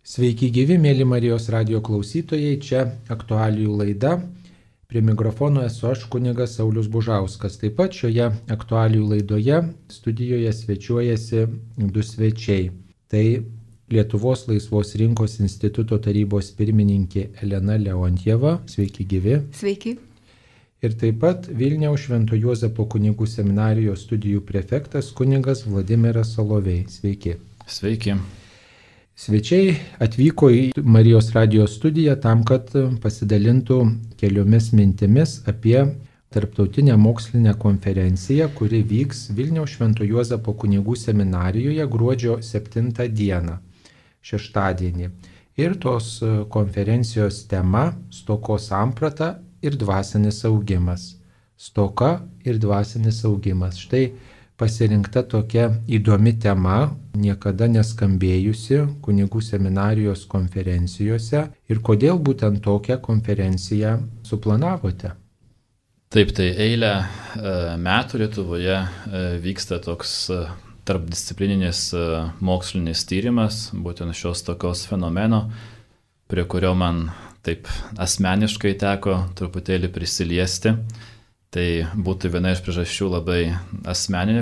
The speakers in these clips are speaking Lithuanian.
Sveiki gyvi, mėly Marijos radio klausytojai, čia aktualijų laida. Prie mikrofono esu aš, kunigas Saulius Bužauskas. Taip pat šioje aktualijų laidoje studijoje svečiuojasi du svečiai. Tai Lietuvos laisvos rinkos instituto tarybos pirmininkė Elena Leontjeva. Sveiki gyvi. Sveiki. Ir taip pat Vilniaus Švento Juozapo kunigų seminarijos studijų prefektas kunigas Vladimiras Solovej. Sveiki. Sveiki. Svečiai atvyko į Marijos radijos studiją tam, kad pasidalintų keliomis mintimis apie tarptautinę mokslinę konferenciją, kuri vyks Vilniaus Švento Juozapo kunigų seminarijoje gruodžio 7 dieną, šeštadienį. Ir tos konferencijos tema - stokos samprata ir dvasinis augimas. Stoka ir dvasinis augimas. Štai pasirinkta tokia įdomi tema, niekada neskambėjusi kunigų seminarijos konferencijose. Ir kodėl būtent tokią konferenciją suplanavote? Taip, tai eilę metų Lietuvoje vyksta toks tarpdisciplininis mokslinis tyrimas, būtent šios stokos fenomeno, prie kurio man taip asmeniškai teko truputėlį prisiliesti. Tai būtų viena iš priežasčių labai asmeninė,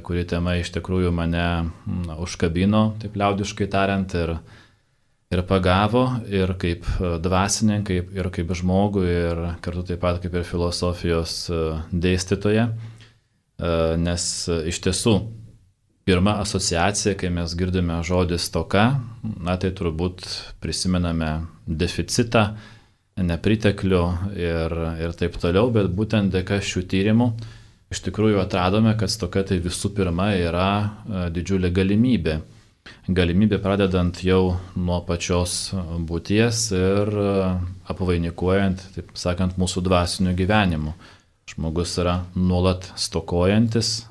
kuri tema iš tikrųjų mane užkabino, taip liaudiškai tariant, ir pagavo, ir kaip dvasininkai, ir kaip žmogų, ir kartu taip pat kaip ir filosofijos dėstytoja. Nes iš tiesų, pirma asociacija, kai mes girdime žodį stoka, tai turbūt prisimename deficitą, nepriteklių ir taip toliau, bet būtent dėka šių tyrimų iš tikrųjų atradome, kad stoka tai visų pirma yra didžiulė galimybė. Galimybė pradedant jau nuo pačios būties ir apvainikuojant, taip sakant, mūsų dvasiniu gyvenimu. Žmogus yra nuolat stokojantis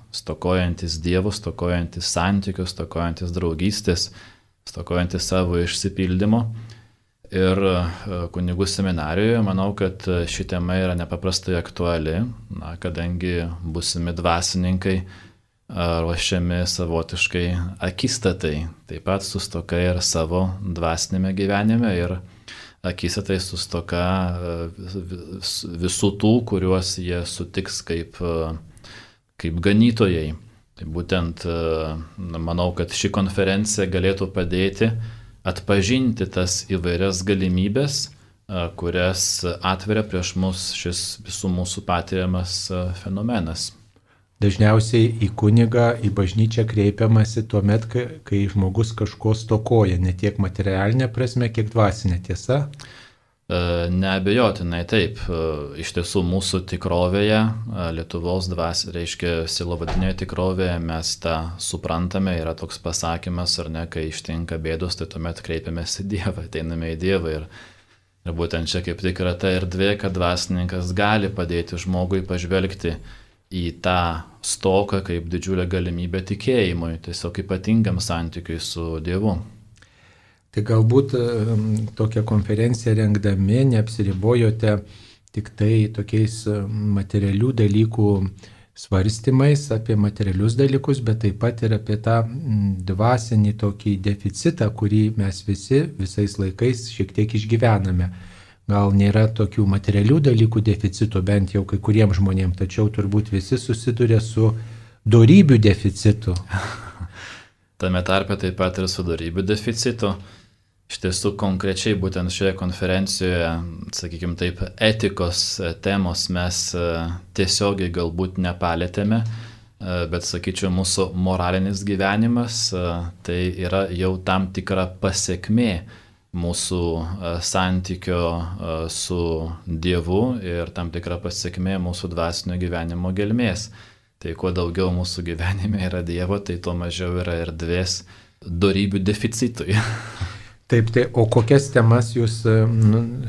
Dievo, stokojantis santykių, stokojantis draugystės, stokojantis savo išsipildymo. Ir kunigų seminarijoje manau, kad ši tema yra nepaprastai aktuali, kadangi būsimi dvasininkai ruošiami savotiškai akistatai, taip pat su stoka ir savo dvasinėme gyvenime ir akistatai su stoka visų tų, kuriuos jie sutiks kaip ganytojai. Tai būtent manau, kad ši konferencija galėtų padėti atpažinti tas įvairias galimybės, kurias atveria prieš mus šis visų mūsų patiriamas fenomenas. Dažniausiai į kunigą, į bažnyčią kreipiamasi tuomet, kai žmogus kažko stokoja, ne tiek materialinė prasme, kiek dvasinė, tiesa? Neabejotinai taip. Iš tiesų mūsų tikrovėje, Lietuvos reiškia sielovadinėje tikrovėje, mes tą suprantame, yra toks pasakymas, ar ne, kai ištinka bėdos, tai tuomet kreipiamės į Dievą, ateiname į Dievą ir būtent čia kaip tik yra ta erdvė, kad dvasininkas gali padėti žmogui pažvelgti į tą stoką kaip didžiulę galimybę tikėjimui, tiesiog ypatingam santykiui su Dievu. Tai galbūt tokią konferenciją rengdami neapsiribojote tik tai tokiais materialių dalykų svarstymais apie materialius dalykus, bet taip pat ir apie tą dvasinį tokį deficitą, kurį mes visi visais laikais šiek tiek išgyvename. Gal nėra tokių materialių dalykų deficito, bent jau kai kuriems žmonėms, tačiau turbūt visi susiduria su dorybių deficitu. Tame tarpe taip pat ir su dorybių deficitu. Iš tiesų konkrečiai būtent šioje konferencijoje, sakykime taip, etikos temos mes tiesiogiai galbūt nepalėtėme, bet sakyčiau, mūsų moralinis gyvenimas tai yra jau tam tikra pasekmė mūsų santykio su Dievu ir tam tikra pasekmė mūsų dvasinio gyvenimo gelmės. Tai kuo daugiau mūsų gyvenime yra Dievo, tai tuo mažiau yra erdvės dorybių deficitui. Taip, tai o kokias temas jūs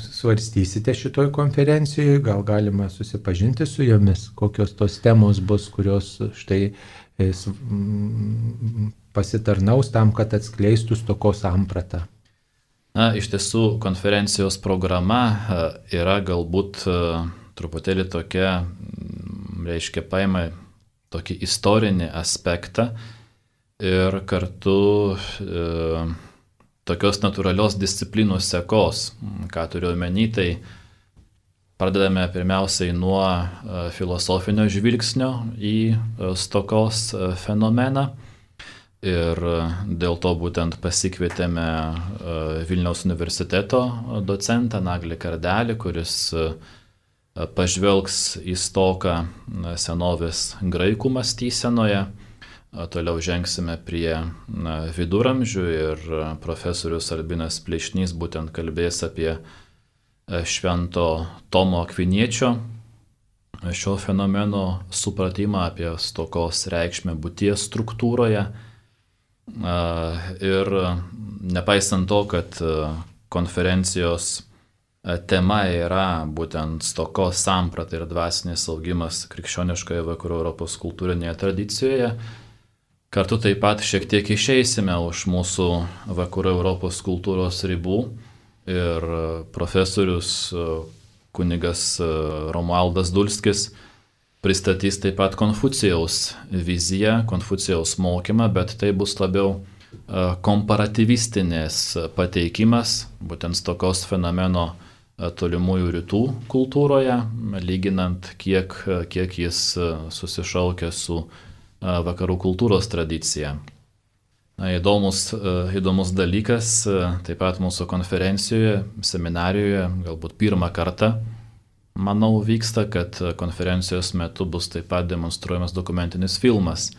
svarstysite šitoj konferencijoje? Gal galima susipažinti su jomis? Kokios tos temos bus, kurios štai pasitarnaus tam, kad atskleistų stokos sampratą? Iš tiesų, konferencijos programa yra galbūt truputėlį tokia, reiškia, paima tokį istorinį aspektą ir kartu tokios natūralios disciplinų sekos. Ką turiu omeny, tai pradedame pirmiausiai nuo filosofinio žvilgsnio į stokos fenomeną. Ir dėl to būtent pasikvietėme Vilniaus universiteto docentą Naglį Kardelį, kuris pažvelgs į stoką senovės graikų mąstysenoje. Toliau žengsime prie viduramžių ir profesorius Albinas Plėšnys būtent kalbės apie Švento Tomo Akviniečio šio fenomeno supratimą, apie stokos reikšmę būties struktūroje. Ir nepaisant to, kad konferencijos tema yra būtent stokos samprata ir dvasinis augimas krikščioniškoje vakarų Europos kultūrinėje tradicijoje, kartu taip pat šiek tiek išeisime už mūsų vakarų Europos kultūros ribų ir profesorius kunigas Romualdas Dulskis pristatys taip pat Konfucijaus viziją, Konfucijaus mokymą, bet tai bus labiau komparatyvistinės pateikimas, būtent stokos fenomeno tolimųjų rytų kultūroje, lyginant, kiek jis susišaukia su vakarų kultūros tradicija. Įdomus dalykas, taip pat mūsų konferencijoje, seminarijoje, galbūt pirmą kartą, manau, vyksta, kad konferencijos metu bus taip pat demonstruojamas dokumentinis filmas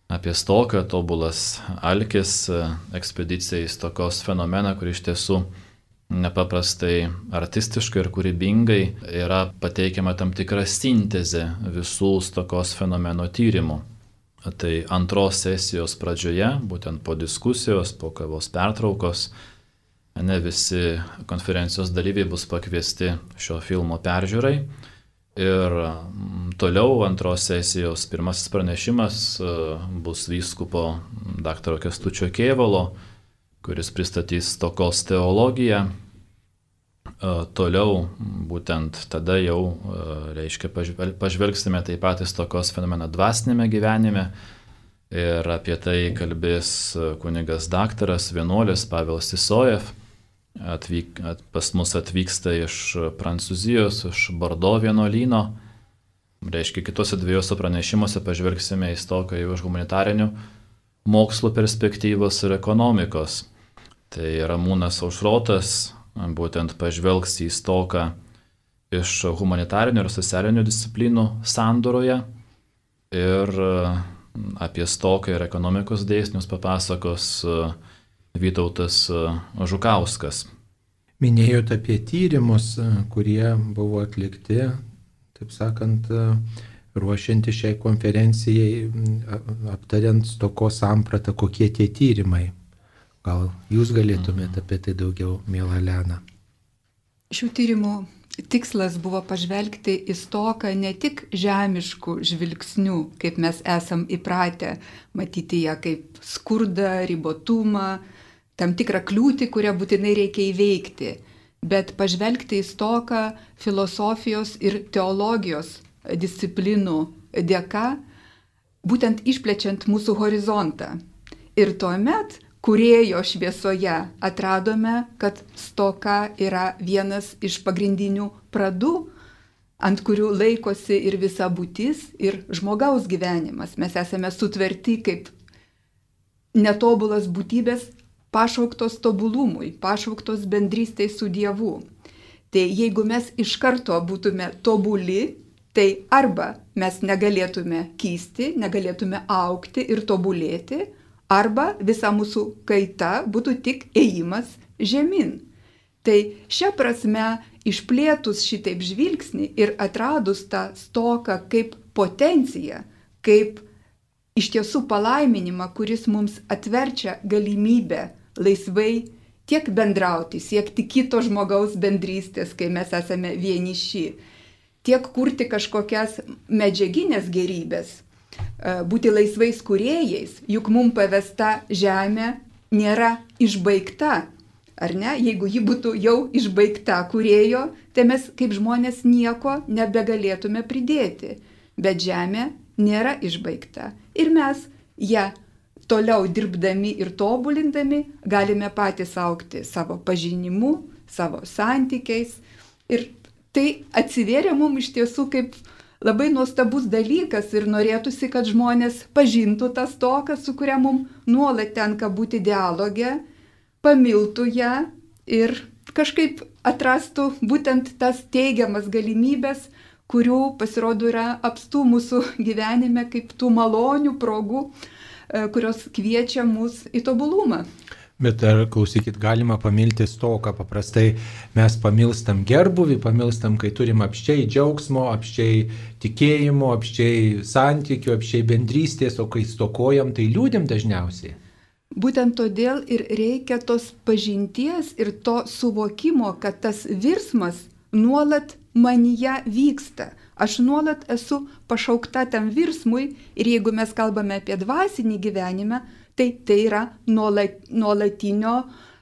apie stoką, tobulas alkis, ekspedicija į stokos fenomeną, kur iš tiesų nepaprastai artistiškai ir kūrybingai yra pateikiama tam tikra sintezė visų stokos fenomeno tyrimų. Tai antros sesijos pradžioje, būtent po diskusijos, po kavos pertraukos, ne visi konferencijos dalyviai bus pakviesti šio filmo peržiūrai. Ir toliau antros sesijos pirmasis pranešimas bus vyskupo dr. Kęstučio Kėvalo, kuris pristatys stokos teologiją. Toliau būtent tada jau, pažvelgsime taip pat į stokos fenomeną dvasinėme gyvenime. Ir apie tai kalbės kunigas daktaras, vienuolis Pavelas Sisojev. Pas mus atvyksta iš Prancūzijos, iš Bordo vienuolyno. Kitose dviejose pranešimuose pažvelgsime į stoką jau iš humanitarinių mokslų perspektyvos ir ekonomikos. Tai Ramūnas Aušrotas būtent pažvelgs į stoką iš humanitarinių ir socialinių disciplinų sandoroje ir apie stoką ir ekonomikos dėsnius papasakos Vytautas Žukauskas. Minėjote apie tyrimus, kurie buvo atlikti, taip sakant, ruošianti šiai konferencijai, aptariant stokos sampratą, kokie tie tyrimai. Gal jūs galėtumėte apie tai daugiau, miela Elena? Šių tyrimų tikslas buvo pažvelgti į stoką ne tik žemiškų žvilgsnių, kaip mes esam įpratę matyti ją kaip skurdą, ribotumą, tam tikrą kliūtį, kurią būtinai reikia įveikti, bet pažvelgti į stoką filosofijos ir teologijos disciplinų dėka, būtent išplečiant mūsų horizontą. Ir tuomet kūrėjo šviesoje atradome, kad stoka yra vienas iš pagrindinių pradų, ant kurių laikosi ir visa būtis, ir žmogaus gyvenimas. Mes esame sutverti kaip netobulas būtybės, pašauktos tobulumui, pašauktos bendrystei su Dievu. Tai jeigu mes iš karto būtume tobuli, tai arba mes negalėtume kysti, negalėtume augti ir tobulėti, arba visa mūsų kaita būtų tik ėjimas žemyn. Tai šia prasme, išplėtus šitaip žvilgsnį ir atradus tą stoką kaip potenciją, kaip iš tiesų palaiminimą, kuris mums atverčia galimybę laisvai tiek bendrauti, siekti kito žmogaus bendrystės, kai mes esame vieniši, tiek kurti kažkokias medžiaginės gerybės, būti laisvais kūrėjais, juk mums pavesta žemė nėra išbaigta, ar ne? Jeigu ji būtų jau išbaigta kūrėjo, tai mes kaip žmonės nieko nebegalėtume pridėti, bet žemė nėra išbaigta ir mes ją toliau dirbdami ir tobulindami galime patys augti savo pažinimu, savo santykiais. Ir tai atsivėrė mums iš tiesų kaip labai nuostabus dalykas ir norėtųsi, kad žmonės pažintų tą stoką, su kuria mums nuolat tenka būti dialoge, pamiltų ją ir kažkaip atrastų būtent tas teigiamas galimybės, kurių pasirodo yra apstų mūsų gyvenime kaip tų malonių progų, kurios kviečia mus į tobulumą. Bet ar, klausykit, galima pamilti stoką? Paprastai mes pamilstam gerbuvį, pamilstam, kai turim apščiai džiaugsmo, apščiai tikėjimo, apščiai santykių, apščiai bendrystės, o kai stokojam, tai liūdim dažniausiai. Būtent todėl ir reikia tos pažinties ir to suvokimo, kad tas virsmas nuolat manyje vyksta. Aš nuolat esu pašaukta tam virsmui ir jeigu mes kalbame apie dvasinį gyvenimą, tai yra nuolatinio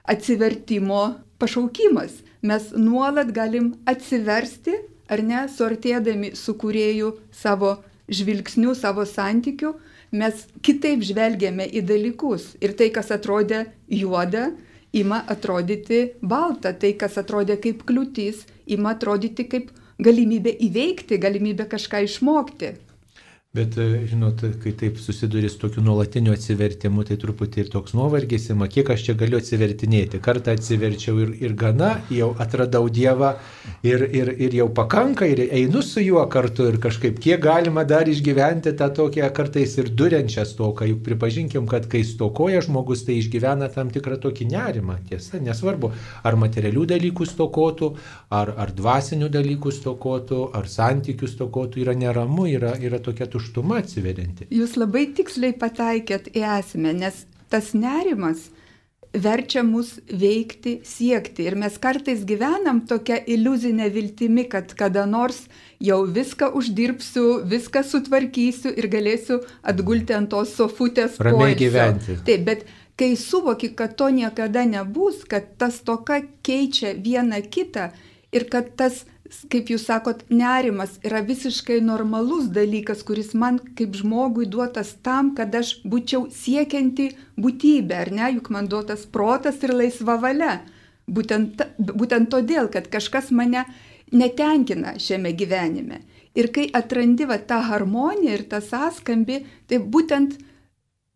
atsivertimo pašaukimas. Mes nuolat galim atsiversti, ar ne, suartėdami su kūrėju savo žvilgsniu, savo santykiu, mes kitaip žvelgiame į dalykus. Ir tai, kas atrodė juoda, ima atrodyti balta. Tai, kas atrodė kaip kliūtis, ima atrodyti kaip galimybė įveikti, galimybė kažką išmokti. Bet, žinot, kai taip susiduri su tokiu nuolatiniu atsivertimu, tai truputį ir toks nuovargis ima, kiek aš čia galiu atsivertinėti. Kartą atsiverčiau ir gana, jau atradau Dievą ir jau pakanka ir einu su juo kartu ir kažkaip kiek galima dar išgyventi tą tokią kartais ir duriančią stoką. Juk pripažinkim, kad kai stokoja žmogus, tai išgyvena tam tikrą tokį nerimą. Tiesa, nesvarbu, ar materialių dalykų stokotų, ar dvasinių dalykų stokotų, ar santykių stokotų, yra neramu, yra tokia tuštuma atsiverianti. Jūs labai tiksliai pataikėt į esmę, nes tas nerimas verčia mus veikti, siekti. Ir mes kartais gyvenam tokia iliuzinė viltimi, kad kada nors jau viską uždirbsiu, viską sutvarkysiu ir galėsiu atgulti ant tos sofutės poilsio. Ramiai gyventi. Taip, bet kai suvoki, kad to niekada nebus, kad tas stoka keičia vieną kitą ir kad tas, kaip jūs sakot, nerimas yra visiškai normalus dalykas, kuris man kaip žmogui duotas tam, kad aš būčiau siekianti būtybė, ar ne, juk man duotas protas ir laisva valia. Būtent todėl, kad kažkas mane netenkina šiame gyvenime. Ir kai atrandi tą harmoniją ir tą sąskambį, tai būtent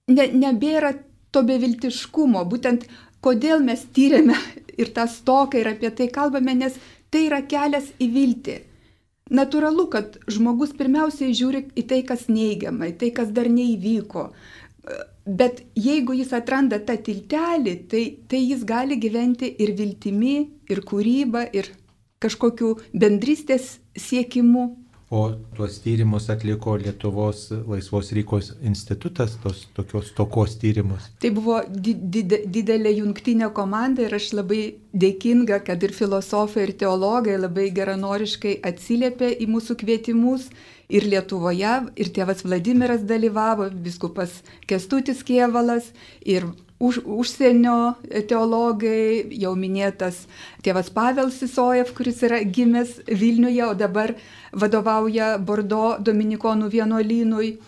nebėra to beviltiškumo, būtent kodėl mes tyrėme ir tą stoką ir apie tai kalbame, nes tai yra kelias į viltį. Natūralu, kad žmogus pirmiausiai žiūri į tai, kas neigiama, į tai, kas dar neįvyko. Bet jeigu jis atranda tą tiltelį, tai jis gali gyventi ir viltimi, ir kūryba, ir kažkokiu bendrystės siekimu. O tuos tyrimus atliko Lietuvos Laisvos rinkos institutas, tos tokios stokos tyrimus. Tai buvo didelė jungtinė komanda ir aš labai dėkinga, kad ir filosofai, ir teologai labai geranoriškai atsiliepė į mūsų kvietimus. Ir Lietuvoje, ir tėvas Vladimiras dalyvavo, vyskupas Kęstutis Kėvalas, ir užsienio teologai, jau minėtas tėvas Pavel Sisojev, kuris yra gimęs Vilniuje, o dabar vadovauja Bordo dominikonų vienuolynui.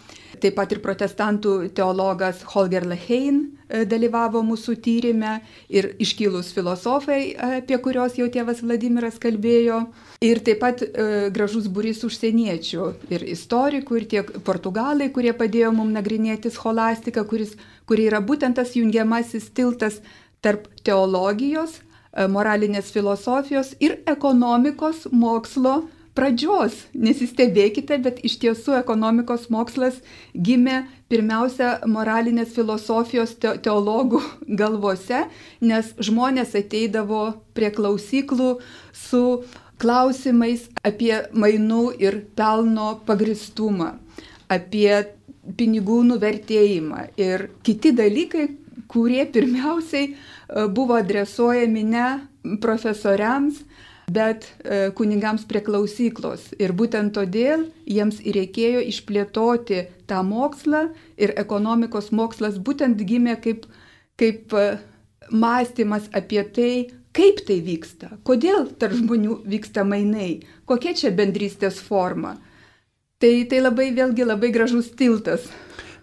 Taip pat ir protestantų teologas Holger Lahein dalyvavo mūsų tyrime ir iškilūs filosofai, apie kurios jau tėvas Vladimiras kalbėjo. Ir taip pat gražus būrys užsieniečių ir istorikų, ir tiek portugalai, kurie padėjo mums nagrinėti scholastiką, kuri yra būtent tas jungiamasis tiltas tarp teologijos, moralinės filosofijos ir ekonomikos mokslo pradžios. Nesistebėkite, bet iš tiesų ekonomikos mokslas gimė pirmiausia moralinės filosofijos teologų galvose, nes žmonės ateidavo prie klausyklų su klausimais apie mainų ir pelno pagristumą, apie pinigų nuvertėjimą ir kiti dalykai, kurie pirmiausiai buvo adresuojami ne profesoriams, bet kunigams prie klausyklos. Ir būtent todėl jiems ir reikėjo išplėtoti tą mokslą ir ekonomikos mokslas būtent gimė kaip mąstymas apie tai, kaip tai vyksta, kodėl tarp žmonių vyksta mainai, kokia čia bendrystės forma. Tai labai vėlgi labai gražus tiltas.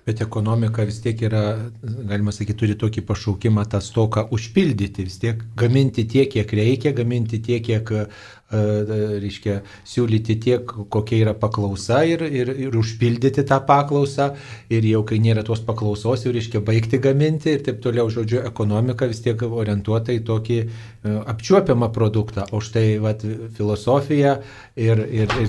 Bet ekonomika vis tiek yra, galima sakyti, turi tokį pašaukimą tą stoką užpildyti, vis tiek gaminti tiek, kiek reikia, gaminti tiek, kiek, reiškia, siūlyti tiek, kokia yra paklausa ir užpildyti tą paklausą. Ir jau kai nėra tos paklausos, jau reiškia baigti gaminti ir taip toliau. Žodžiu, ekonomika vis tiek orientuota į tokį apčiuopiamą produktą. O štai vat, filosofija ir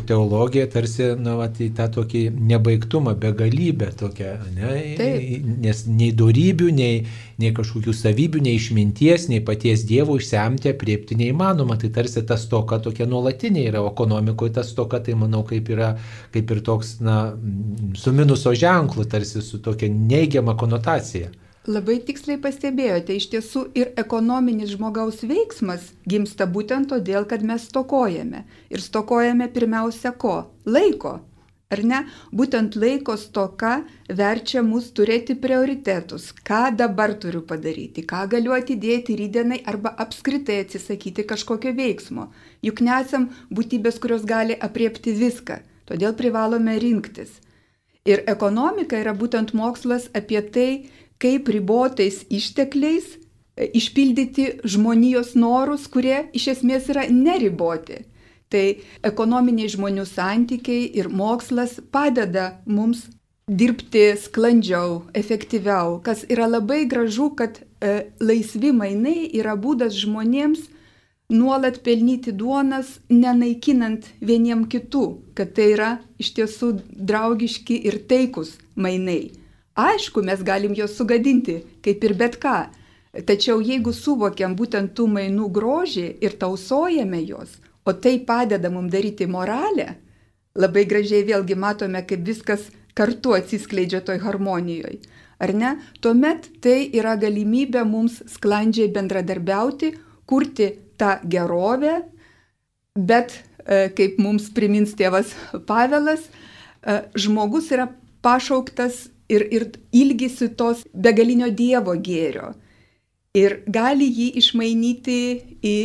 teologija tarsi vat, į tą tokį nebaigtumą, begalybę tokią. Ne? Nes nei dorybių, nei kažkokių savybių, nei išminties, nei paties Dievo išsemti, apriepti neįmanoma. Tai tarsi ta stoka tokia nuolatinė yra, o ekonomikoje ta stoka, tai manau, kaip ir toks, su minuso ženklu, tarsi su tokia neigiama konotacija. Labai tiksliai pastebėjote, iš tiesų ir ekonominis žmogaus veiksmas gimsta būtent todėl, kad mes stokojame. Ir stokojame pirmiausia ko? Laiko. Ar ne? Būtent laiko stoka verčia mus turėti prioritetus. Ką dabar turiu padaryti? Ką galiu atidėti rytdienai arba apskritai atsisakyti kažkokio veiksmo? Juk nesam būtybės, kurios gali apriepti viską. Todėl privalome rinktis. Ir ekonomika yra būtent mokslas apie tai, kaip ribotais ištekliais išpildyti žmonijos norus, kurie iš esmės yra neriboti. Tai ekonominiai žmonių santykiai ir mokslas padeda mums dirbti sklandžiau, efektyviau, kas yra labai gražu, kad laisvi mainai yra būdas žmonėms nuolat pelnyti duonas, nenaikinant vieniem kitų, kad tai yra iš tiesų draugiški ir taikus mainai. Aišku, mes galim juos sugadinti, kaip ir bet ką, tačiau jeigu suvokiam būtent tų mainų grožį ir tausojame juos, o tai padeda mums daryti moralę, labai gražiai vėlgi matome, kaip viskas kartu atsiskleidžia toj harmonijoje. Ar ne? Tuomet tai yra galimybė mums sklandžiai bendradarbiauti, kurti tą gerovę, bet, kaip mums primins tėvas Pavelas, žmogus yra pašauktas ir ilgisi tos begalinio Dievo gėrio ir gali jį išmainyti į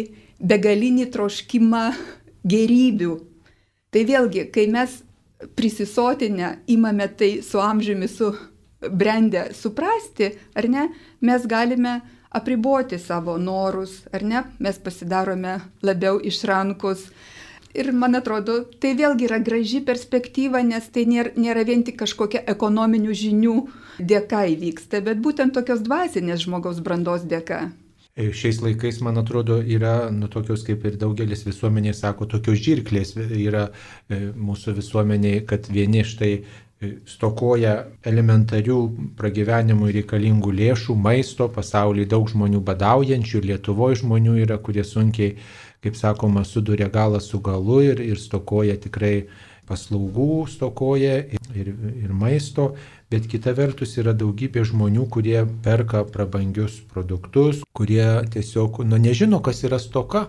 begalinį troškimą gėrybių. Tai vėlgi, kai mes prisisotinę imame tai su amžiumi, su brendę suprasti, ar ne, mes galime apriboti savo norus, ar ne, mes pasidarome labiau išrankus. Ir man atrodo, tai vėlgi yra graži perspektyva, nes tai nėra vien tik kažkokia ekonominių žinių dėka įvyksta, bet būtent tokios dvasinės žmogaus brandos dėka. Šiais laikais, man atrodo, yra tokios, kaip ir daugelis visuomeniai sako, tokios žirklės yra mūsų visuomeniai, kad vieni štai stokoja elementarių pragyvenimui reikalingų lėšų, maisto, pasaulyje daug žmonių badaujančių, Lietuvoje žmonių yra, kurie sunkiai, kaip sakoma, suduria galą su galu ir stokoja tikrai paslaugų, stokoja ir maisto, bet kita vertus yra daugybė žmonių, kurie perka prabangius produktus, kurie tiesiog nežino, kas yra stoka.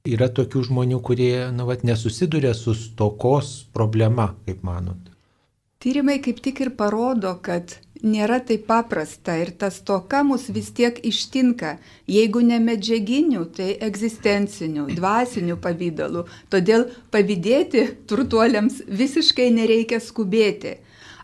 Yra tokių žmonių, kurie nesusiduria su stokos problema, kaip manot. Tyrimai kaip tik ir parodo, kad nėra taip paprasta ir ta stoka mus vis tiek ištinka, jeigu ne medžiaginių, tai egzistencinių, dvasinių pavydalų. Todėl pavydėti turtuoliams visiškai nereikia skubėti.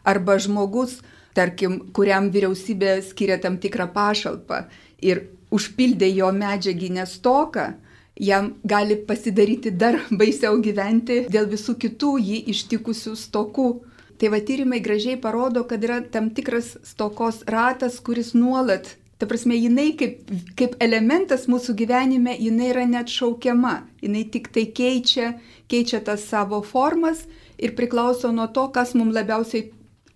Arba žmogus, tarkim, kuriam vyriausybė skiria tam tikrą pašalpą ir užpildė jo medžiaginę stoką, jam gali pasidaryti dar baisiau gyventi dėl visų kitų jį ištikusių stokų. Tai va tyrimai gražiai parodo, kad yra tam tikras stokos ratas, kuris nuolat, ta prasme, jinai kaip elementas mūsų gyvenime, jinai yra neatšaukiama, jinai tik tai keičia tas savo formas ir priklauso nuo to, kas mums labiausiai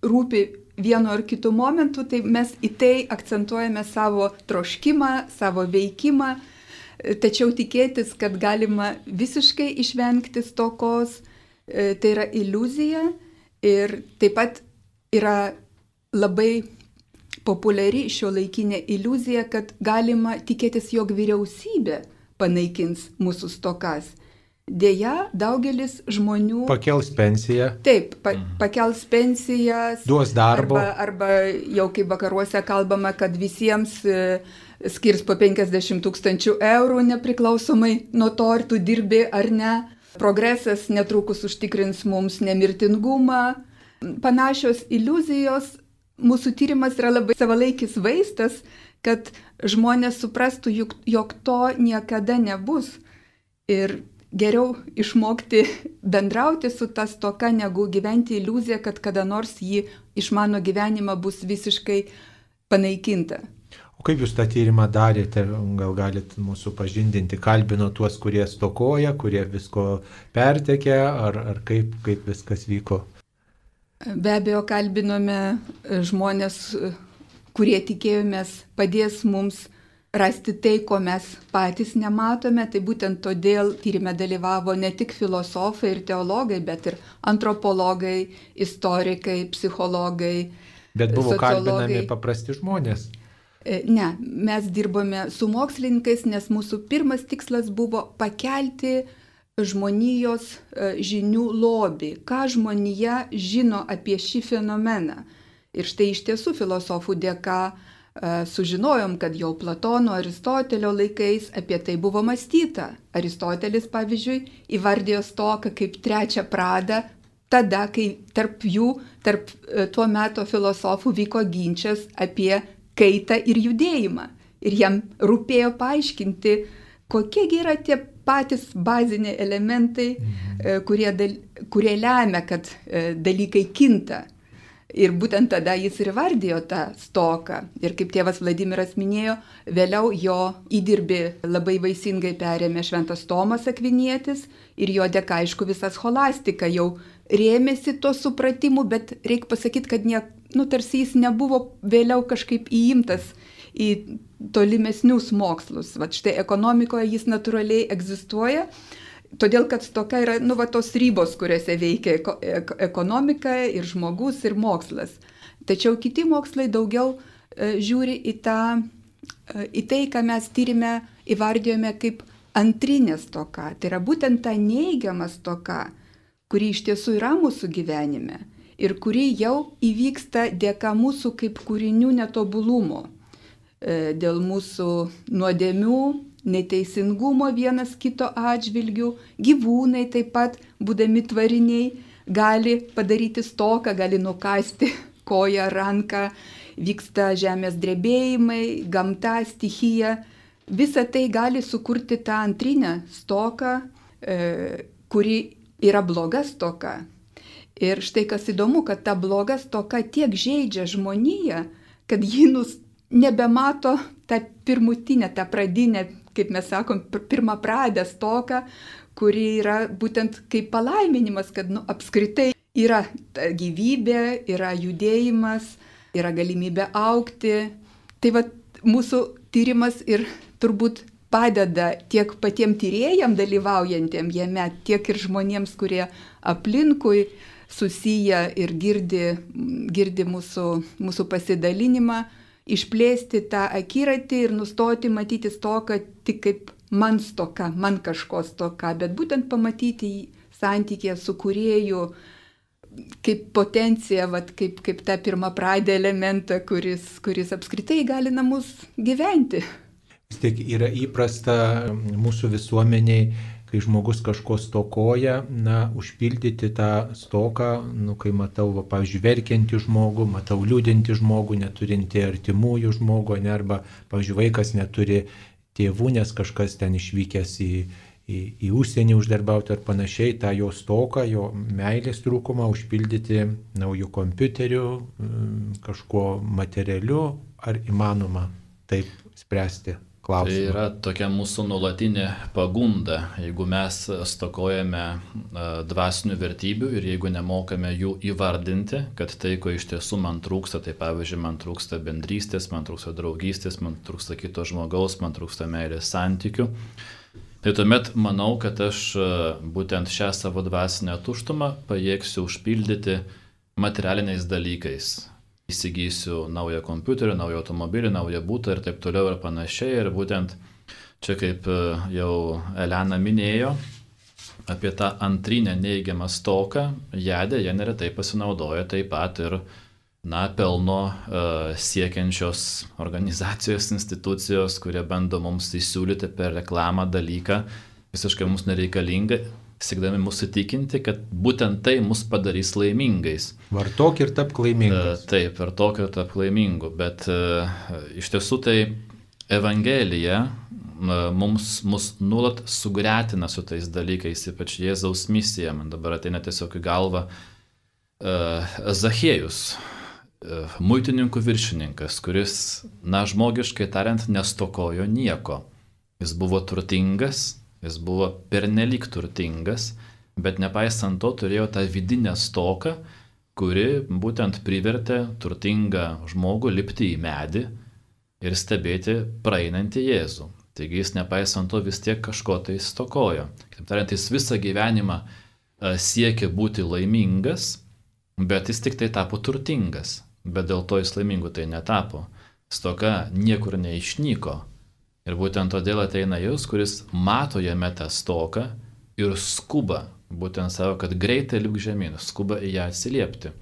rūpi vienu ar kitu momentu, tai mes į tai akcentuojame savo troškimą, savo veikimą, tačiau tikėtis, kad galima visiškai išvengti stokos, tai yra iliuzija. Ir taip pat yra labai populiari šiuolaikinė iliuzija, kad galima tikėtis, jog vyriausybė panaikins mūsų stokas. Deja, daugelis žmonių pakels pensiją. Taip, pakels pensijas. Duos darbo. Arba jau kaip vakaruose kalbama, kad visiems skirs po 50 000 eurų nepriklausomai nuo to, ar tu dirbi ar ne. Progresas netrukus užtikrins mums nemirtingumą. Panašios iliuzijos mūsų tyrimas yra labai savalaikis vaistas, kad žmonės suprastų, jog to niekada nebus. Ir geriau išmokti bendrauti su ta stoka, negu gyventi iliuziją, kad kada nors ji iš mano gyvenimą bus visiškai panaikinta. O kaip jūs tą tyrimą darėte? Gal galite mūsų pažindinti? Kalbino tuos, kurie stokoja, kurie visko pertekė, ar kaip viskas vyko? Be abejo, kalbinome žmonės, kurie tikėjomės padės mums rasti tai, ko mes patys nematome. Tai būtent todėl tyrime dalyvavo ne tik filosofai ir teologai, bet ir antropologai, istorikai, psichologai. Bet buvo kalbinami paprasti žmonės. Ne, mes dirbome su mokslininkais, nes mūsų pirmas tikslas buvo pakelti žmonijos žinių lobį, ką žmonija žino apie šį fenomeną. Ir štai iš tiesų filosofų dėka sužinojom, kad jau Platono, Aristotelio laikais apie tai buvo mąstyta. Aristotelis, pavyzdžiui, įvardėjo stoką kaip trečią pradą, tada, kai tarp tuo meto filosofų vyko ginčas apie kaitą ir judėjimą. Ir jam rūpėjo paaiškinti, kokiegi yra tie patys baziniai elementai, kurie lemia, kad dalykai kinta. Ir būtent tada jis ir vardijo tą stoką. Ir kaip tėvas Vladimiras minėjo, vėliau jo įdirbį labai vaisingai perėmė Šventas Tomas Akvinietis ir jo dėka, aišku, visa scholastika jau rėmėsi to supratimu, bet reikia pasakyti, kad tarsi jis nebuvo vėliau kažkaip įimtas į tolimesnius mokslus. Vat štai ekonomikoje jis natūraliai egzistuoja, todėl kad stoka yra tos ribos, kuriuose veikia ekonomika ir žmogus ir mokslas. Tačiau kiti mokslai daugiau žiūri į tai, ką mes tyrime įvardijome kaip antrinė stoka. Tai yra būtent ta neigiama stoka, kuri iš tiesų yra mūsų gyvenime ir kuri jau įvyksta dėka mūsų kaip kūrinių netobulumo, dėl mūsų nuodėmių, neteisingumo vienas kito atžvilgių. Gyvūnai taip pat, būdami tvariniai, gali padaryti stoką, gali nukasti koją, ranką, vyksta žemės drebėjimai, gamta, stichija. Visa tai gali sukurti tą antrinę stoką, kuri yra bloga stoka. Ir štai kas įdomu, kad ta bloga stoka tiek žeidžia žmoniją, kad ji nebemato tą pirmutinę, tą pradinę, kaip mes sakom, pirmą pradę stoką, kuri yra būtent kaip palaiminimas, kad apskritai yra gyvybė, yra judėjimas, yra galimybė augti. Tai va, mūsų tyrimas ir turbūt padeda tiek patiem tyrėjam dalyvaujantiem jame, tiek ir žmonėms, kurie aplinkui susiję ir girdi mūsų pasidalinimą, išplėsti tą akiratį ir nustoti matyti stoką tik kaip man stoka, man kažko stoka, bet būtent pamatyti santykį su kūrėju kaip potenciją, kaip tą pirmapradę elementą, kuris apskritai įgalina mus gyventi. Vis tiek yra įprasta mūsų visuomeniai, kai žmogus kažko stokoja, užpildyti tą stoką, kai matau, pavyzdžiui, verkiantį žmogų, matau liūdintį žmogų, neturinti artimųjų žmogų, arba, pavyzdžiui, vaikas neturi tėvų, nes kažkas ten išvykęs į užsienį uždarbauti ar panašiai, tą jo stoką, jo meilės trūkumą užpildyti naujų kompiuterių, kažkuo materialiu, ar įmanoma taip spręsti klausimą? Tai yra tokia mūsų nuolatinė pagunda, jeigu mes stokojame dvasinių vertybių ir jeigu nemokame jų įvardinti, kad tai, ko iš tiesų man trūksta, tai pavyzdžiui, man trūksta bendrystės, man trūksta draugystės, man trūksta kito žmogaus, man trūksta meilės santykių, tai tuomet manau, kad aš būtent šią savo dvasinę tuštumą pajėgsiu užpildyti materialiniais dalykais. Įsigysiu naują kompiuterį, naują automobilį, naują butą ir taip toliau ir panašiai. Ir būtent čia, kaip jau Elena minėjo, apie tą antrinę neigiamą stoką, ją dėja neretai pasinaudoja taip pat ir pelno siekiančios organizacijos, institucijos, kurie bando mums įsiūlyti per reklamą dalyką visiškai mums nereikalingą, siekdami mus įtikinti, kad būtent tai mus padarys laimingais. Vartok ir tapk laimingas. Taip, vartok ir tapk laimingu, bet iš tiesų tai Evangelija mus nuolat sugretina su tais dalykais, ypač Jėzaus misija. Man dabar ateina tiesiog į galvą Zachiejus, muitininkų viršininkas, kuris, žmogiškai tariant, nestokojo nieko. Jis buvo turtingas, jis buvo pernelyg turtingas, bet nepaisant to turėjo tą vidinę stoką, kuri būtent privertė turtingą žmogų lipti į medį ir stebėti praeinantį Jėzų. Taigi jis nepaisant to vis tiek kažko tai stokojo. Kitaip tariant, jis visą gyvenimą siekė būti laimingas, bet jis tik tai tapo turtingas. Bet dėl to jis laimingu tai netapo. Stoka niekur neišnyko. Ir būtent todėl ateina Jėzus, kuris mato jame tą stoką ir skuba, būtent savo, kad greitai lipk žemyn, skuba į ją atsiliepti.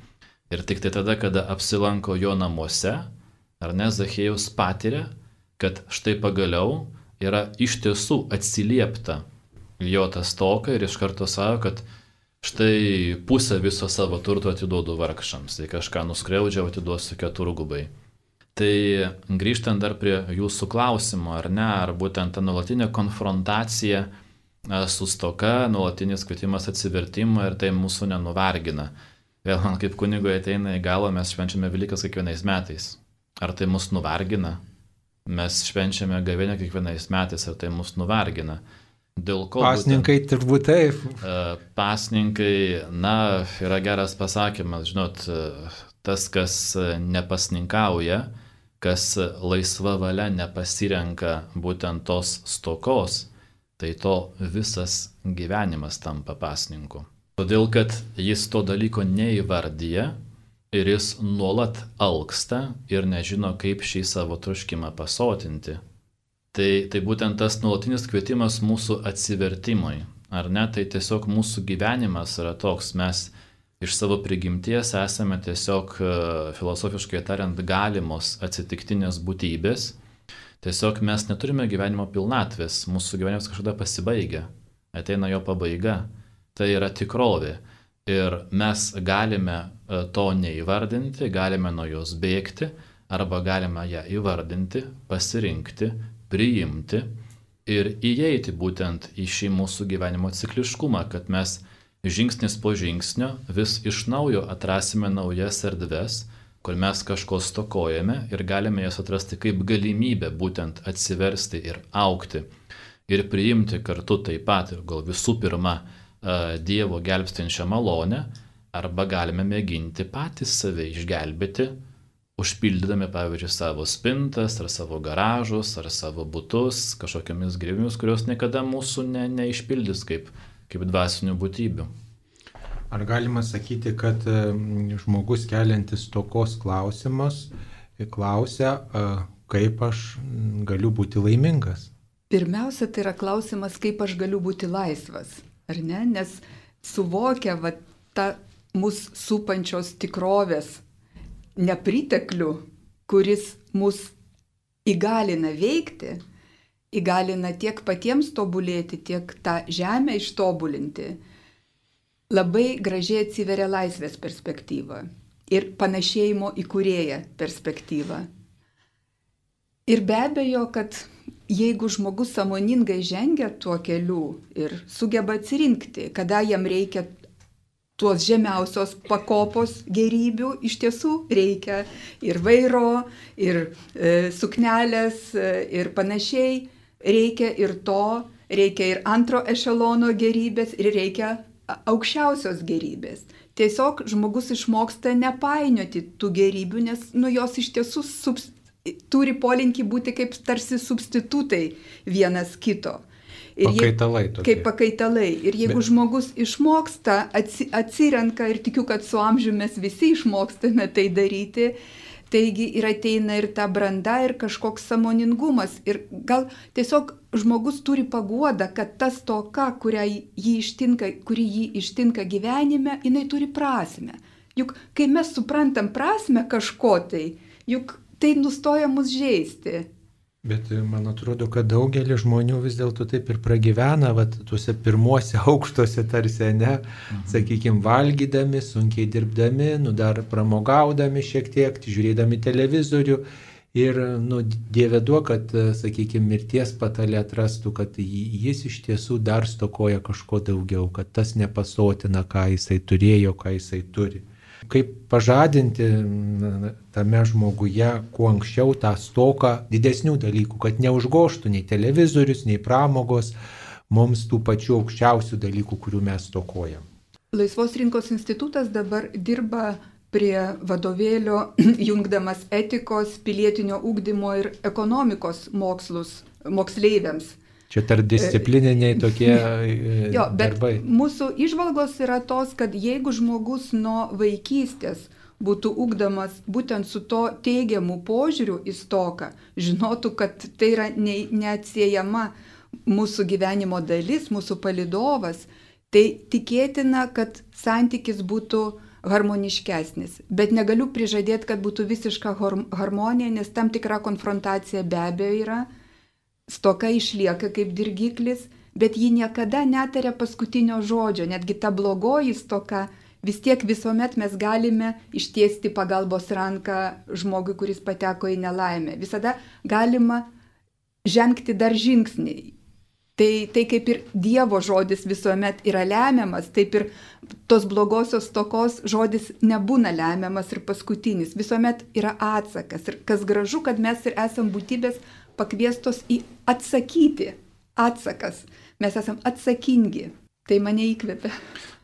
Ir tik tai tada, kada apsilanko jo namuose, ar ne, Zachiejus patiria, kad štai pagaliau yra iš tiesų atsiliepta jo tą stoką ir iš karto savo, kad štai pusę viso savo turto atiduodu vargšams, tai kažką nuskriaudžiau, atiduosiu keturgubai. Tai grįžtant dar prie jūsų klausimo, ar ne, ar būtent ta nuolatinė konfrontacija su stoka, nuolatinis kvietimas atsivertimą ir tai mūsų nenuvargina. Vėl man kaip kunigui ateina į galvą, mes švenčiame Velykas kiekvienais metais. Ar tai mus nuvargina? Mes švenčiame gavėnią kiekvienais metais, ar tai mus nuvargina? Dėl ko? Pasninkai turbūt taip. Pasninkai, yra geras pasakymas, žinot, tas, kas nepasninkauja, kas laisva valia nepasirenka būtent tos stokos, tai to visas gyvenimas tampa pasninku. Todėl, kad jis to dalyko neįvardyja ir jis nuolat alksta ir nežino, kaip šį savo troškimą pasotinti. Tai būtent tas nuolatinis kvietimas mūsų atsivertimui, ar ne, tai tiesiog mūsų gyvenimas yra toks, mes iš savo prigimties esame tiesiog, filosofiškai tariant, galimos atsitiktinės būtybės. Tiesiog mes neturime gyvenimo pilnatvės, mūsų gyvenimas kažkada pasibaigia, ateina jo pabaiga. Tai yra tikrovė. Ir mes galime to neįvardinti, galime nuo jos bėgti, arba galime ją įvardinti, pasirinkti, priimti ir įeiti būtent į šį mūsų gyvenimo cikliškumą, kad mes žingsnis po žingsnio vis iš naujo atrasime naujas erdves, kur mes kažko stokojame ir galime jas atrasti kaip galimybę būtent atsiversti ir augti ir priimti kartu taip pat ir gal visų pirma Dievo gelbstinčią malonę, arba galime mėginti patys save išgelbėti, užpildydami, pavyzdžiui, savo spintas, ar savo garažus, ar savo butus, kažkokiamis gėrybėmis, kurios niekada mūsų neišpildys kaip dvasinių būtybių. Ar galima sakyti, kad žmogus keliantis stokos klausimus klausia, kaip aš galiu būti laimingas? Pirmiausia, tai yra klausimas, kaip aš galiu būti laisvas, ar ne? Nes suvokia tą mus supančios tikrovės nepriteklių, kuris mus įgalina veikti, įgalina tiek patiems tobulėti, tiek tą žemę ištobulinti, labai gražiai atsiveria laisvės perspektyva ir panašėjimo į kūrėją perspektyva. Ir be abejo, kad jeigu žmogus sąmoningai žengia tuo keliu ir sugeba atsirinkti, kada jam reikia tuos žemiausios pakopos gėrybių, iš tiesų reikia ir vairo, ir suknelės, ir panašiai, reikia ir to, reikia ir antro ešelono gėrybės, ir reikia aukščiausios gėrybės. Tiesiog žmogus išmoksta nepainioti tų gėrybių, nes jos iš tiesų turi polinkį būti kaip tarsi substitutai vienas kito. Pakaitalai tokie. Kaip pakaitalai. Ir jeigu žmogus išmoksta, atsirenka, ir tikiu, kad su amžiumi mes visi išmokstame tai daryti, taigi ir ateina ir ta branda, ir kažkoks sąmoningumas. Ir gal tiesiog žmogus turi paguodą, kad ta stoka, kuri jį ištinka gyvenime, jinai turi prasmę. Juk kai mes suprantam prasmę kažko tai, juk tai nustoja mus žeisti. Bet man atrodo, kad daugelis žmonių vis dėlto taip ir pragyvena, tuose pirmuose aukštuose tarsi, ne, sakykime, valgydami, sunkiai dirbdami, dar pramogaudami šiek tiek, žiūrėdami televizorių. Ir, Dieve duok, kad, sakykime, mirties patale atrastų, kad jis iš tiesų dar stokoja kažko daugiau, kad tas nepasotina, ką jisai turėjo, ką jisai turi. Kaip pažadinti tame žmoguje kuo anksčiau tą stoką didesnių dalykų, kad neužgoštų nei televizorius, nei pramogos mums tų pačių aukščiausių dalykų, kurių mes stokojam. Laisvos rinkos institutas dabar dirba prie vadovėlio, jungdamas etikos, pilietinio ugdymo ir ekonomikos mokslus moksleiviams. Čia tarpdisciplininiai tokie darbai. Mūsų įžvalgos yra tos, kad jeigu žmogus nuo vaikystės būtų ugdomas būtent su to teigiamu požiūriu į stoką, žinotų, kad tai yra neatsiejama mūsų gyvenimo dalis, mūsų palydovas, tai tikėtina, kad santykis būtų harmoniškesnis. Bet negaliu prižadėti, kad būtų visiška harmonija, nes tam tikra konfrontacija be abejo yra. Stoka išlieka kaip dirgiklis, bet ji niekada netaria paskutinio žodžio. Netgi ta blogoji stoka, vis tiek visuomet mes galime ištiesti pagalbos ranką žmogui, kuris pateko į nelaimę. Visada galima žengti dar žingsnį. Tai kaip ir Dievo žodis visuomet yra lemiamas, taip ir tos blogosios stokos žodis nebūna lemiamas ir paskutinis. Visuomet yra atsakas. Ir kas gražu, kad mes ir esam būtybės pakviestos į atsakyti. Atsakas. Mes esam atsakingi. Tai mane įkvepia.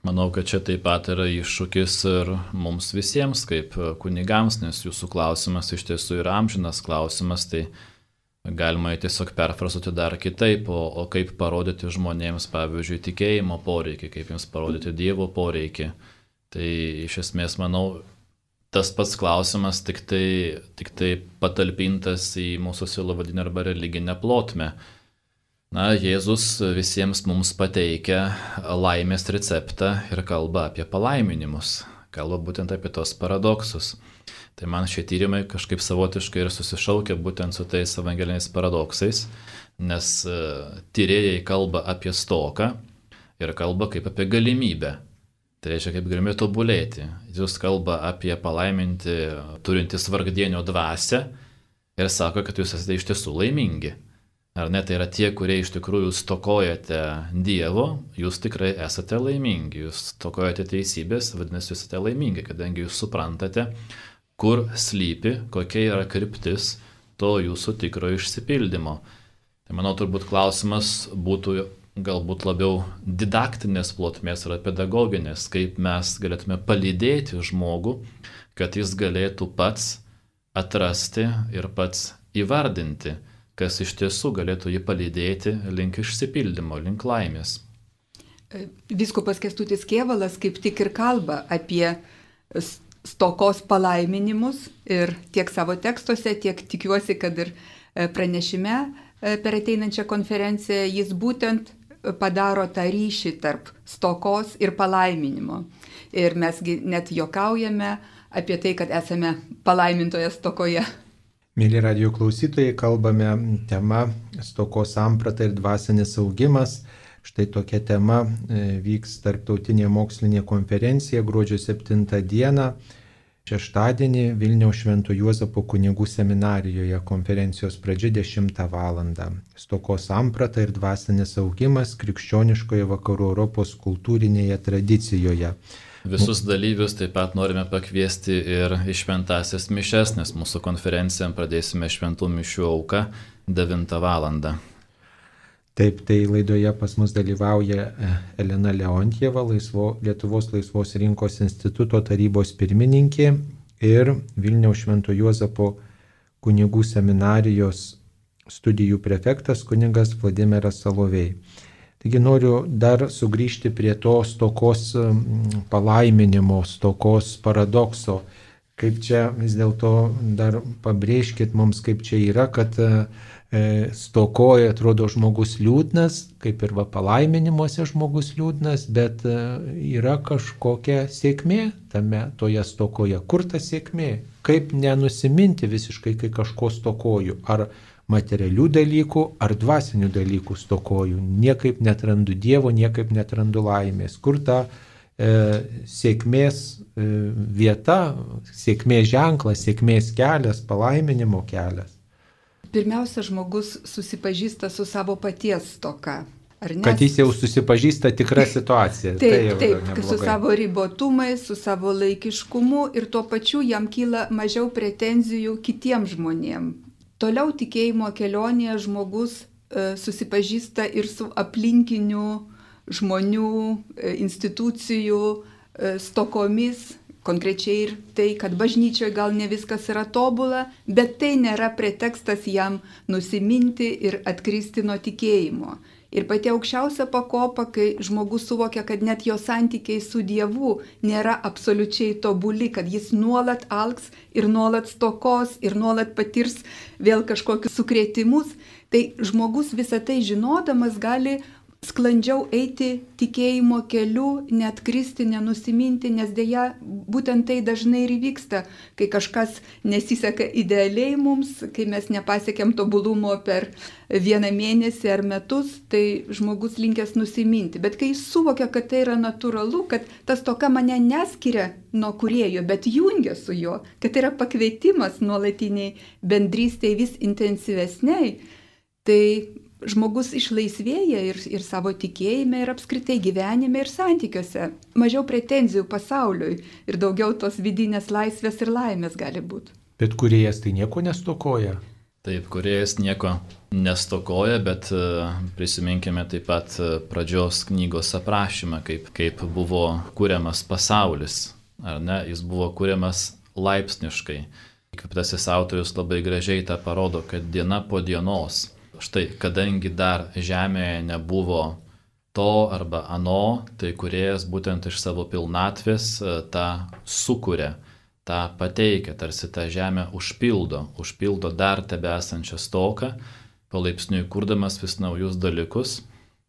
Manau, kad čia taip pat yra iššūkis ir mums visiems kaip kunigams, nes jūsų klausimas iš tiesų yra amžinas klausimas, tai galima tiesiog perfrazuoti dar kitaip, o kaip parodyti žmonėms, pavyzdžiui, tikėjimo poreikį, kaip jiems parodyti Dievo poreikį. Tai iš esmės, manau, tas pats klausimas tik tai patalpintas į mūsų sielovadinę arba religinę plotmę. Jėzus visiems mums pateikia laimės receptą ir kalba apie palaiminimus, kalba būtent apie tos paradoksus. Tai man šie tyrimai kažkaip savotiškai ir susišaukia būtent su tais evangeliniais paradoksais, nes tyrėjai kalba apie stoką ir kalba kaip apie galimybę. Tai reiškia, kaip galime tobulėti. Jis kalba apie palaiminti turintis vargdienio dvasią ir sako, kad jūs esate iš tiesų laimingi. Ar ne, tai yra tie, kurie iš tikrųjų stokojate Dievo, jūs tikrai esate laimingi. Jūs stokojate teisybės, vadinasi, jūs esate laimingi, kadangi jūs suprantate, kur slypi, kokia yra kryptis to jūsų tikro išsipildymo. Tai manau, turbūt klausimas būtų galbūt labiau didaktinės plotmės ar pedagoginės, kaip mes galėtume palydėti žmogų, kad jis galėtų pats atrasti ir pats įvardinti, kas iš tiesų galėtų jį palydėti link išsipildymo, link laimės. Vyskupas Kęstutis Kėvalas kaip tik ir kalba apie stokos palaiminimus ir tiek savo tekstuose, tiek tikiuosi, kad ir pranešime per ateinančią konferenciją jis būtent padaro tą ryšį tarp stokos ir palaiminimo. Ir mesgi net juokaujame apie tai, kad esame palaimintoje stokoje. Mėly radijo klausytojai, kalbame tema stokos samprata ir dvasinis augimas. Štai tokia tema vyks tarptautinė mokslinė konferencija gruodžio 7 dieną, šeštadienį Vilniaus Švento Juozapo kunigų seminarijoje, konferencijos pradžia 10 val. Stokos samprata ir dvasinis augimas krikščioniškoje vakarų Europos kultūrinėje tradicijoje. Visus dalyvius taip pat norime pakviesti ir į šventąsias mišias, nes mūsų konferencijam pradėsime šventų mišių auką 9 val. Taip, tai laidoje pas mus dalyvauja Elena Leontjeva, Lietuvos laisvos rinkos instituto tarybos pirmininkė ir Vilniaus Švento Juozapo kunigų seminarijos studijų prefektas kunigas Vladimiras Salovej. Taigi noriu dar sugrįžti prie to stokos palaiminimo, stokos paradokso. Kaip čia vis dėlto dar pabrėžkit mums, kaip čia yra, kad stokoje atrodo žmogus liūdnas, kaip ir palaiminimuose žmogus liūdnas, bet yra kažkokia sėkmė toje stokoje. Kur ta sėkmė? Kaip nenusiminti visiškai, kai kažko stokoju? Ar materialių dalykų ar dvasinių dalykų stokoju. Niekaip netrandu Dievo, niekaip netrandu laimės. Kur ta sėkmės vieta, sėkmės ženklas, sėkmės kelias, palaiminimo kelias? Pirmiausia, žmogus susipažįsta su savo paties stoka. Kad jis jau susipažįsta tikrą situaciją. Taip, su savo ribotumais, su savo laikiškumu ir tuo pačiu jam kyla mažiau pretenzijų kitiems žmonėms. Toliau tikėjimo kelionėje žmogus susipažįsta ir su aplinkinių žmonių, institucijų stokomis, konkrečiai ir tai, kad bažnyčioje gal ne viskas yra tobula, bet tai nėra pretekstas jam nusiminti ir atkristi nuo tikėjimo. Ir pati aukščiausia pakopa, kai žmogus suvokia, kad net jo santykiai su Dievu nėra absoliučiai tobuli, kad jis nuolat alks ir nuolat stokos ir nuolat patirs vėl kažkokius sukrėtimus, tai žmogus visą tai žinodamas gali sklandžiau eiti tikėjimo keliu, net kristi, nenusiminti, nes dėja būtent tai dažnai ir įvyksta, kai kažkas nesiseka idealiai mums, kai mes nepasiekėm tobulumo per vieną mėnesį ar metus, tai žmogus linkęs nusiminti. Bet kai jis suvokia, kad tai yra natūralu, kad tas toka mane neskiria nuo Kūrėjo, bet jungia su juo, kad tai yra pakvietimas nuolatiniai bendrystėj vis intensyvesniai, tai žmogus išlaisvėja ir savo tikėjime, ir apskritai gyvenime, ir santykiuose. Mažiau pretenzijų pasauliui ir daugiau tos vidinės laisvės ir laimės gali būti. Bet Kūrėjas tai nieko nestokoja? Taip, Kūrėjas nieko nestokoja, bet prisiminkime taip pat pradžios knygos aprašymą, kaip buvo kuriamas pasaulis. Ar ne? Jis buvo kuriamas laipsniškai. Įkvėptasis autorius labai gražiai tą parodo, kad diena po dienos. Štai, kadangi dar žemėje nebuvo to arba ano, tai Kūrėjas būtent iš savo pilnatvės tą sukuria, tą pateikia, tarsi tą žemę užpildo dar tebesančią stoką, palaipsniui kurdamas vis naujus dalykus.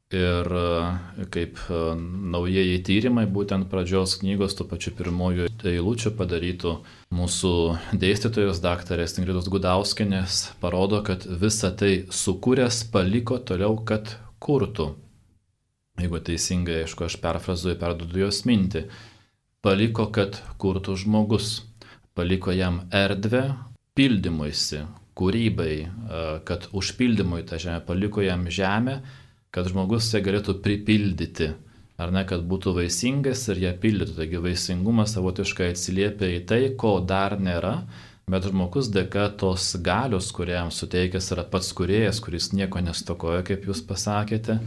Ir kaip naujieji tyrimai, būtent pradžios knygos, tų pačių pirmųjų eilučių padarytų mūsų dėstytojos daktarės Ingridos Gudauskienės, parodo, kad visą tai sukūręs paliko toliau, kad kurtų. Jeigu teisingai, aišku, aš perfrazuoju, perduodu jos mintį. Paliko, kad kurtų žmogus. Paliko jam erdvę pildymuisi, kūrybai, kad užpildymui tą žemę paliko jam žemę, kad žmogus ją galėtų pripildyti, ar ne, kad būtų vaisingas ir ją pildytų. Taigi vaisingumas savotiškai atsiliepia į tai, ko dar nėra, bet žmogus dėka tos galios, kuriam suteikęs yra pats Kūrėjas, kuris nieko nestokoja, kaip jūs pasakėte,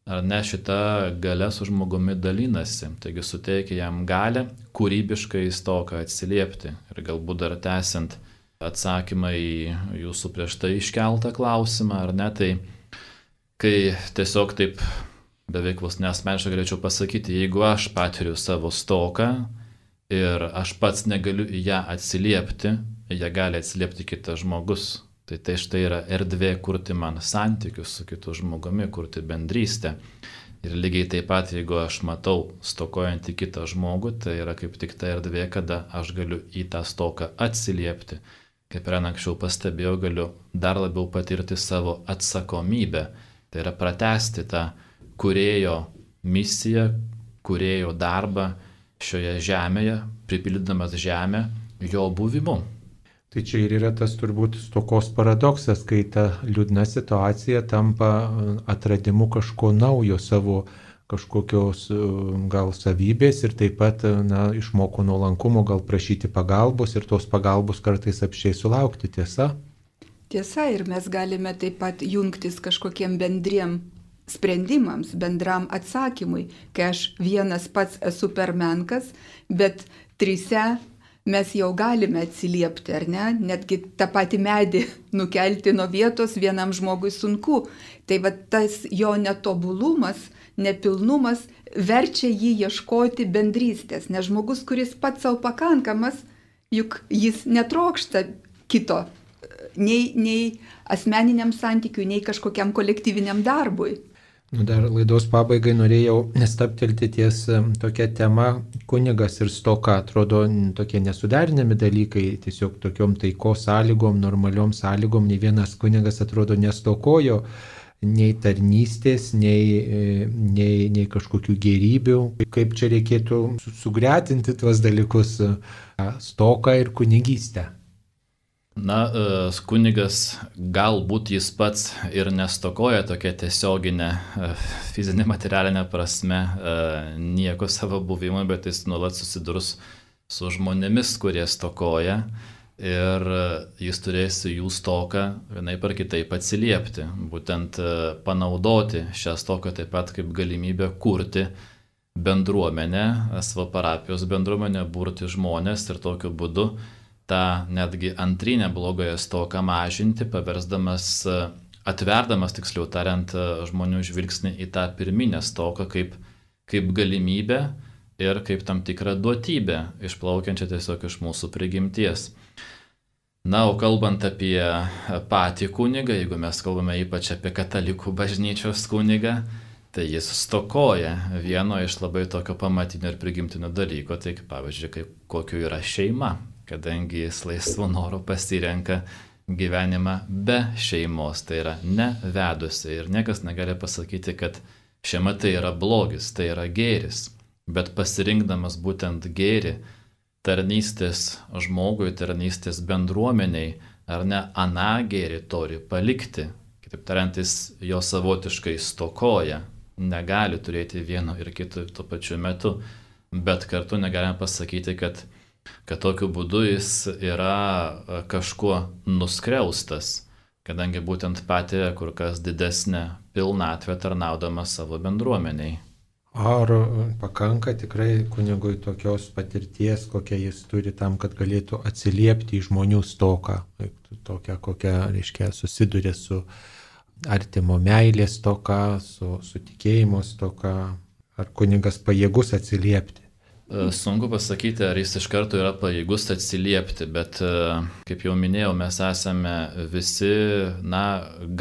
ar ne, šita galia su žmogumi dalinasi. Taigi suteikia jam galę kūrybiškai į stoką atsiliepti. Ir galbūt dar tęsiant atsakymą į jūsų prieš tai iškeltą klausimą, ar ne, tai kai tiesiog taip beveik vos neasmeniškai galėčiau pasakyti, jeigu aš patiriu savo stoką ir aš pats negaliu į ją atsiliepti, ją gali atsiliepti kitas žmogus. Tai štai yra erdvė kurti man santykius su kitu žmogumi, kurti bendrystę. Ir lygiai taip pat, jeigu aš matau stokojantį kitą žmogų, tai yra kaip tik ta erdvė, kada aš galiu į tą stoką atsiliepti. Kaip ir anksčiau pastebėjau, galiu dar labiau patirti savo atsakomybę. Tai yra pratęsti tą Kūrėjo misiją, Kūrėjo darbą šioje žemėje, pripildydamas žemę jo buvimu. Tai čia ir yra tas turbūt stokos paradoksas, kai ta liūdna situacija tampa atradimu kažko naujo, savo kažkokios gal savybės ir taip pat išmoko nuolankumo, gal prašyti pagalbos ir tos pagalbos kartais apsčiai sulaukti, tiesa? Tiesa, ir mes galime taip pat jungtis kažkokiem bendriem sprendimams, bendram atsakymui, kai aš vienas pats esu per menkas, bet trise mes jau galime atsiliepti, ar ne? Netgi tą patį medį nukelti nuo vietos vienam žmogui sunku. Tai va tas jo netobulumas, nepilnumas verčia jį ieškoti bendrystės, nes žmogus, kuris pats savo pakankamas, juk jis netrokšta kito. Nei asmeniniam santykiui, nei kažkokiam kolektyviniam darbui. Dar laidos pabaigai norėjau staptelti ties tokia tema kunigas ir stoka. Atrodo tokie nesuderinami dalykai, tiesiog tokiom taikos sąlygom, normaliom sąlygom. Nei vienas kunigas atrodo nestokojo nei tarnystės, nei kažkokių gėrybių. Kaip čia reikėtų sugretinti tuos dalykus, stoką ir kunigystę? Na, kunigas galbūt jis pats ir nestokoja tokia tiesioginė fizinė materialinė prasme nieko savo buvimo, bet jis nuolat susidurs su žmonėmis, kurie stokoja ir jis turės jų stoką vienaip ar kitaip atsiliepti. Būtent panaudoti šią stoką taip pat kaip galimybę kurti bendruomenę, savo parapijos bendruomenę, burti žmonės ir tokiu būdu tą netgi antrinę blogąją stoką mažinti, atverdamas, tiksliau tariant, žmonių žvilgsnį į tą pirminę stoką kaip galimybę ir kaip tam tikrą duotybę, išplaukiančią tiesiog iš mūsų prigimties. Na, o kalbant apie patį kunigą, jeigu mes kalbame ypač apie katalikų bažnyčios kunigą, tai jis stokoja vieno iš labai tokio pamatinio ir prigimtinio dalyko, tai pavyzdžiui, kokiu yra šeima. Kadangi jis laisvu noru pasirenka gyvenimą be šeimos, tai yra nevedusi. Ir niekas negali pasakyti, kad šeima tai yra blogis, tai yra gėris. Bet pasirinkdamas būtent gėrį, tarnystės žmogui, tarnystės bendruomeniai, ar ne, aną gėrį turi palikti. Kitaip tariant, jis jo savotiškai stokoja, negali turėti vieno ir kito tuo pačiu metu, bet kartu negalime pasakyti, kad tokiu būdu jis yra kažkuo nuskriaustas, kadangi būtent patiria kur kas didesnę pilnatvę tarnaudamas savo bendruomeniai. Ar pakanka tikrai kunigui tokios patirties, kokią jis turi tam, kad galėtų atsiliepti į žmonių stoką, tokią, kokią, reiškia, susiduria su artimo meilės stoka, su tikėjimo stoka, ar kunigas pajėgus atsiliepti? Sunku pasakyti, ar jis iš karto yra pajėgus atsiliepti, bet, kaip jau minėjau, mes esame visi,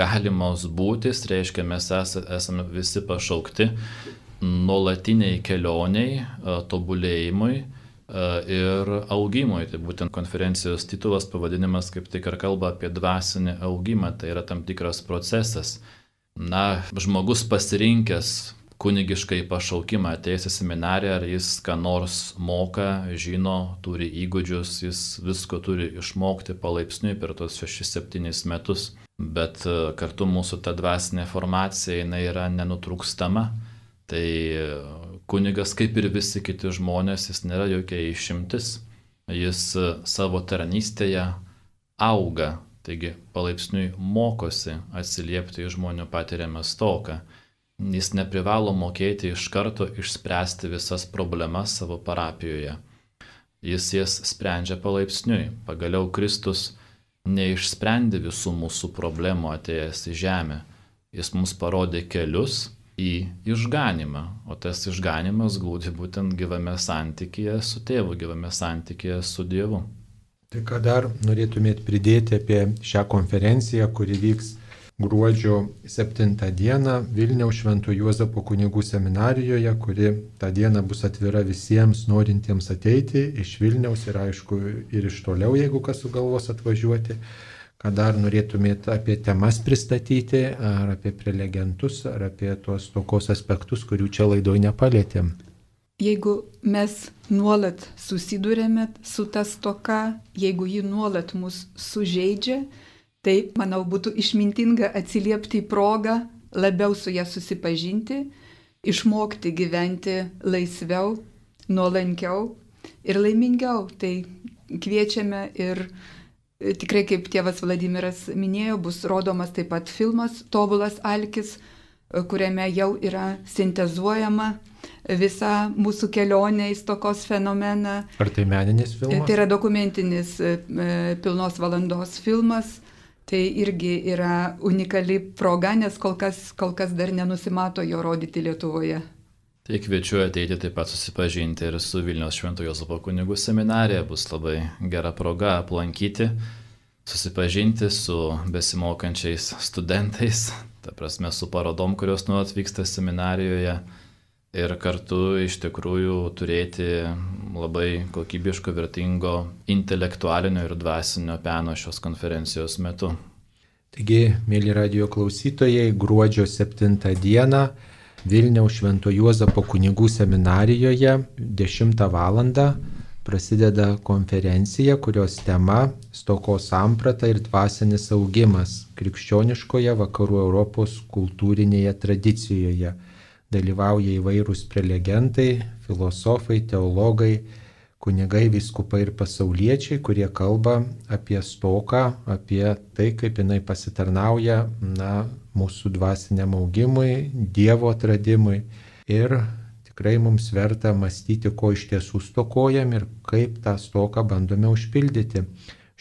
galimos būtis, reiškia, mes esame visi pašaukti nuolatiniai kelioniai, tobulėjimui ir augimui. Tai būtent konferencijos titulas, pavadinimas kaip tik ir kalba apie dvasinį augimą, tai yra tam tikras procesas. Žmogus pasirinkęs kunigiškai pašaukimą, atėjęs į seminariją, ar jis ką nors moka, žino, turi įgūdžius, jis visko turi išmokti palaipsniui per tos 6-7 metus, bet kartu mūsų ta dvasinė formacija, jinai yra nenutrūkstama. Tai kunigas, kaip ir visi kiti žmonės, jis nėra jokia išimtis, jis savo tarnystėje auga, taigi palaipsniui mokosi atsiliepti į žmonių patiriamą stoką. Jis neprivalo mokėti iš karto išspręsti visas problemas savo parapijoje. Jis jas sprendžia palaipsniui. Pagaliau Kristus neišsprendė visų mūsų problemų atėjęs į žemę. Jis mums parodė kelius į išganimą, o tas išganimas glūdi būtent gyvame santykyje su tėvu, gyvame santykyje su Dievu. Tai ką dar norėtumėt pridėti apie šią konferenciją, kuri vyks gruodžio 7 dieną Vilniaus Švento Juozapo kunigų seminarijoje, kuri tą dieną bus atvira visiems norintiems ateiti iš Vilniaus ir aišku ir iš toliau, jeigu kas sugalvos atvažiuoti. Ką dar norėtumėt apie temas pristatyti, ar apie prelegentus, ar apie tuos stokos aspektus, kurių čia laidoj nepalėtėm? Jeigu mes nuolat susidurėme su ta stoka, jeigu ji nuolat mus sužeidžia, tai, manau, būtų išmintinga atsiliepti į progą, labiau su ją susipažinti, išmokti gyventi laisviau, nuolankiau ir laimingiau. Tai kviečiame ir tikrai, kaip tėvas Vladimiras minėjo, bus rodomas taip pat filmas Tobulas alkis, kuriame jau yra sintezuojama visa mūsų kelionė į stokos fenomeną. Ar tai meninis filmas? Tai yra dokumentinis pilnos valandos filmas. Tai irgi yra unikali proga, nes kol kas dar nenusimato jo rodyti Lietuvoje. Tai kviečiu ateiti taip pat susipažinti ir su Vilniaus Švento Juozapo kunigų seminarija. Bus labai gera proga aplankyti, susipažinti su besimokančiais studentais, ta prasme su parodom, kurios nuolat vyksta seminarijoje ir kartu iš tikrųjų turėti labai kokybiško, vertingo intelektualinio ir dvasinio peno šios konferencijos metu. Taigi, mėly radijo klausytojai, gruodžio 7 dieną Vilniaus Švento Juozapo kunigų seminarijoje 10 val. Prasideda konferencija, kurios tema stokos samprata ir dvasinis augimas krikščioniškoje vakarų Europos kultūrinėje tradicijoje. Dalyvauja įvairūs prelegentai, filosofai, teologai, kunigai, vyskupai ir pasauliečiai, kurie kalba apie stoką, apie tai, kaip jinai pasitarnauja mūsų dvasiniam augimui, Dievo atradimui. Ir tikrai mums verta mąstyti, ko iš tiesų stokojam ir kaip tą stoką bandome užpildyti.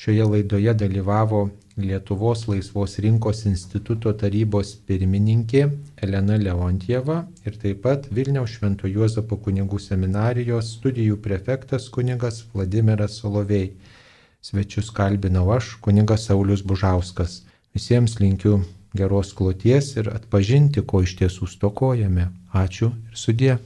Šioje laidoje dalyvavo Lietuvos Laisvos rinkos instituto tarybos pirmininkė Elena Leontjeva ir taip pat Vilniaus Švento Juozapo kunigų seminarijos studijų prefektas kunigas Vladimiras Solovej. Svečius kalbinau aš, kunigas Saulius Bužauskas. Visiems linkiu geros kloties ir atpažinti, ko iš tiesų stokojame. Ačiū ir sudie.